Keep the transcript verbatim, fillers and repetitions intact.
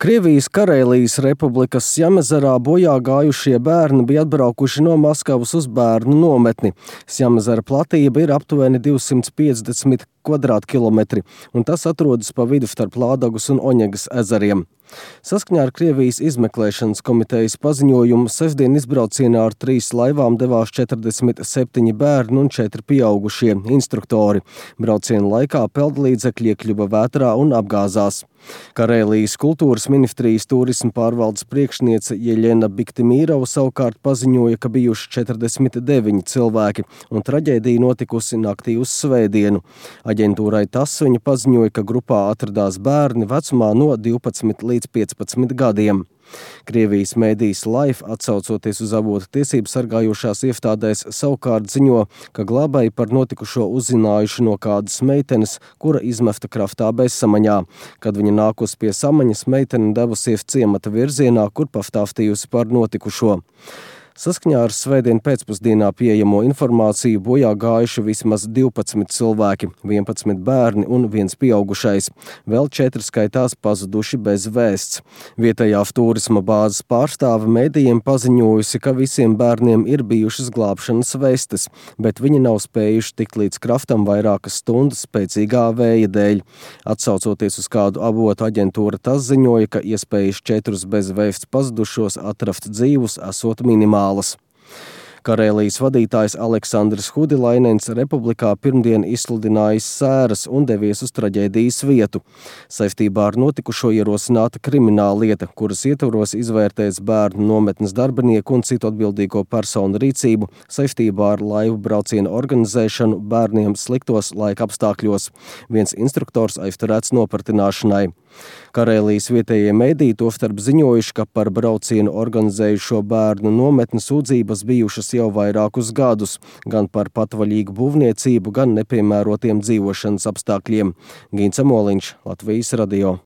Krievijas Karēlijas Republikas Sjamezerā bojā gājušie bērni bija atbraukuši no Maskavas uz bērnu nometni. Sjamezera platība ir aptuveni divsimt piecdesmit kvadrātkilometri, un tas atrodas pa vidu starp Lādagas un Oņegas ezeriem. Saskaņā ar Krievijas izmeklēšanas komitejas paziņojumu sestdien izbraucienā ar trīs laivām devās četrdesmit septiņi bērni un četri pieaugušie instruktori. Brauciena laikā peldlīdzekļi iekļuva vētrā un apgāzās. Karēlijas kultūras ministrijas turisma pārvaldes priekšniece Jeļena Biktimīrova savukārt paziņoja, ka bijuši četrdesmit deviņi cilvēki, un traģēdija notikusi naktī uz svētdienu. Aģentūrai TASS viņa paziņoja, ka grupā atradās bērni vecumā no divpadsmit līdz piecpadsmit gadiem. Krievijas mēdījis Life, atsaucoties uz avotu tiesību sargājošās iestādēs, savukārt ziņo, ka glābēji par notikušo uzzinājuši no kādas meitenes, kura izmesta kraftā bezsamaņā. Kad viņa nākus pie samaņas, meitene devusies ciemata virzienā, kur pastāstījusi par notikušo. Saskaņā ar svētdien pēcpusdienā pieejamo informāciju bojā gājuši vismaz divpadsmit cilvēki, vienpadsmit bērni un viens pieaugušais. Vēl četri skaitās pazuduši bez vēsts. Vietējā turisma bāzes pārstāve mēdījiem paziņojusi, ka visiem bērniem ir bijušas glābšanas vestes, bet viņi nav spējuši tikt līdz kraftam vairākas stundas spēcīgā vēja dēļ. Atsaucoties uz kādu avotu, aģentūra TASS ziņoja, ka iespējas četrus bez vēsts pazudušos atrast dzīvus esot minimāli. Karēlijas vadītājs Aleksandrs Hudilainens Republikā pirmdien izsludinājis sēras un devies uz traģēdijas vietu. Saistībā ar notikušo ierosināta krimināla lieta, kuras ietvaros izvērtēts bērnu nometnes darbinieku un citu atbildīgo personu rīcību saistībā ar laivu braucienu organizēšanu bērniem sliktos laika apstākļos. Viens instruktors aizturēts nopratināšanai. Karēlijas vietējie mēdīji tostarp ziņojuši, ka par braucienu organizējušo bērnu nometni sūdzības bijušas jau vairākus gadus, gan par patvaļīgu būvniecību, gan nepiemērotiem dzīvošanas apstākļiem. Gints Amoliņš, Latvijas radio.